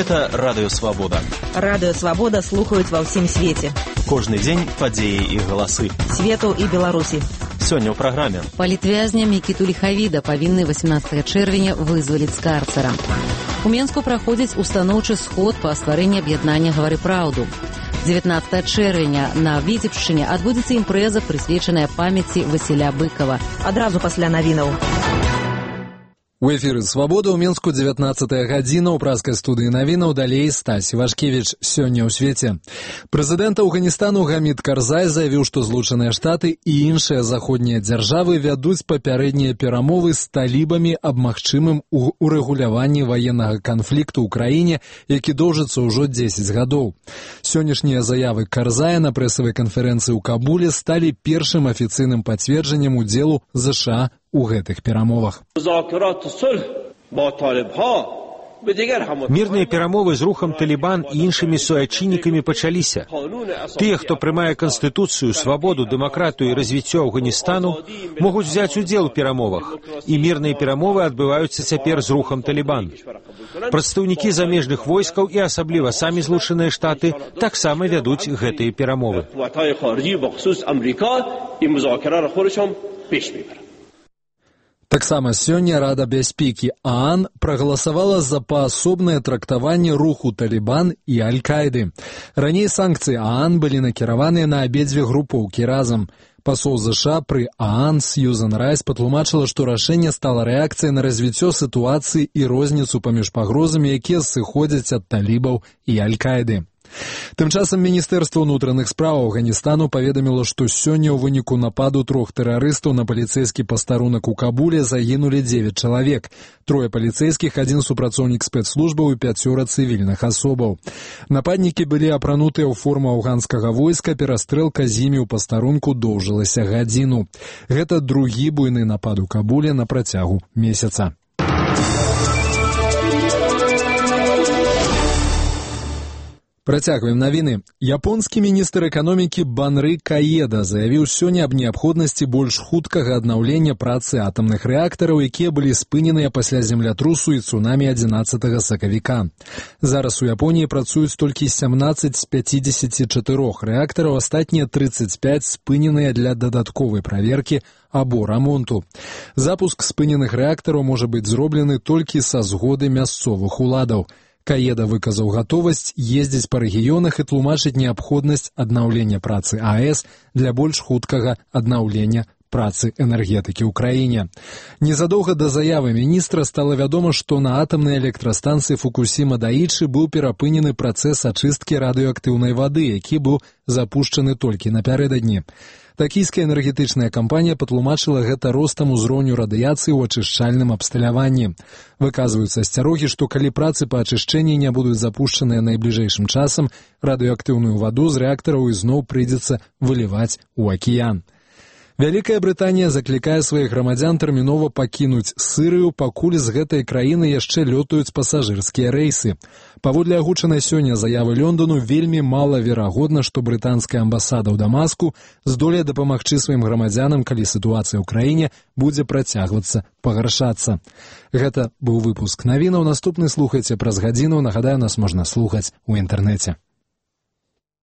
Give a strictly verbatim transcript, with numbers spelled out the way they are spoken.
Гэта Радыё Свабода. Радыё Свабода слухаюць ва ўсім свеце. Кожны дзень падзеі і галасы. Свету і Беларусі. Сёння ў праграме. Палітвязня Мікіту Ліхавіда павінны восемнадцатага чэрвеня вызваліць з карцара. У Менску праходзіць устаноўчы сход па стварэнні аб'яднання «Гавары праўду». дзевятнадцатага чэрвеня на Віцебшчыне адбудзецца імпрэза, прысвечаная памяці Васіля Быкава. Адразу пасля навінаў. У эфіры «Свабода» ў Менску дзевятнадцатая гадзіна, ў празкай студыі навінаў, далей Стась Івашкевіч. Сёння ў свеце. Прэзідэнт Афганістану Гамід Карзай заявіў, што Злучаныя Штаты і іншыя заходнія дзяржавы вядуць папярэднія перамовы з талібамі аб магчымым урэгуляванні ваеннага канфлікту ў краіне, які доўжыцца ўжо дзесяць гадоў. Сённяшнія заявы Карзая на прэсавай канферэнцыі ў Кабуле сталі першым афіцыйным пацверджаннем удзелу ЗША у гэтых перамовах. Мірныя перамовы з рухам Талібан і іншымі суайчыннікамі пачаліся. Тыя, хто прымае канстытуцыю, свабоду, дэмакратыю і развіццё Афганістану, могуць взяць удзел у перамовах, і мірныя перамовы адбываюцца цяпер з рухам Талібан. Прадстаўнікі замежных войскаў і асабліва самі Злучаныя Штаты таксама вядуць гэтыя перамовы. Таксама сёння Рада бяспекі ААН прагаласавала за паасобнае трактаванне руху Талібан і Аль-Каіды. Раней санкцыі ААН былі накіраваныя на абедзве групоўкі разам. Пасол ЗША пры ААН Сьюзан Райс патлумачыла, што рашэнне стала рэакцыяй на развіццё сітуацыі і розніцу паміж пагрозамі, якія сыходзяць ад талібаў і Аль-Каіды. Тым часам Міністэрства ўнутраных спраў Афганістану паведаміла, што сёння ў выніку нападу трох тэрарыстаў на паліцэйскі пастарунак у Кабуле загінулі дзевяць чалавек. Трое паліцэйскіх, адзін супрацоўнік спецслужбаў і пяцёра цывільных асобаў. Нападнікі былі апранутыя ў форму афганскага войска, перастрэлка з імі ў пастарунку доўжылася гадзіну. Гэта другі буйны напад у Кабуле на працягу месяца. Працягваем навіны. Японскі міністр эканомікі Банры Каеда заявіў сёння аб неабходнасці больш хуткага аднаўлення працы атамных рэактараў, якія былі спыненыя пасля землятрусу і цунамі адзінаццатага сакавіка. Зараз у Японіі працуюць толькі сямнаццаць з пяцідзесяці чатырох рэактараў, астатнія трыццаць пяць спыненыя для дадатковай праверкі або рамонту. Запуск спыненых рэактараў можа быць зроблены толькі са згоды мясцовых уладаў. Каеда выказаў гатовасць ездзіць па рэгіёнах і тлумачыць неабходнасць аднаўлення працы АЭС для больш хуткага аднаўлення працы энергетыкі ў краіне. Незадоўга да заявы міністра стала вядома, што на атамнай электрастанцыі Фукусіма-Даічы быў перапынены працэс ачысткі радыеактыўнай вады, які быў запушчаны толькі напярэдадні. Такійская энергетычная кампанія патлумачыла гэта ростам узроўню радыяцыі ў ачышчальным абсталяванні. Выказваюцца асцярогі, што калі працы па ачышчэнні не будуць запушчаныя найбліжэйшым часам, радыеактыўную ваду з рэактараў ізноў прыйдзецца выліваць у акіян. Вялікая Брытанія заклікае сваіх грамадзян тэрмінова пакінуць Сырыю, пакуль з гэтай краіны яшчэ лётаюць пасажырскія рэйсы. Паводле агучанай сёння заявы Лондону, вельмі малаверагодна, што брытанская амбасада ў Дамаску здолее дапамагчы сваім грамадзянам, калі сітуацыя ў краіне будзе працягвацца пагаршацца. Гэта быў выпуск навінаў. Наступны слухайце праз гадзіну. Нагадаю, нас можна слухаць у інтэрнэце.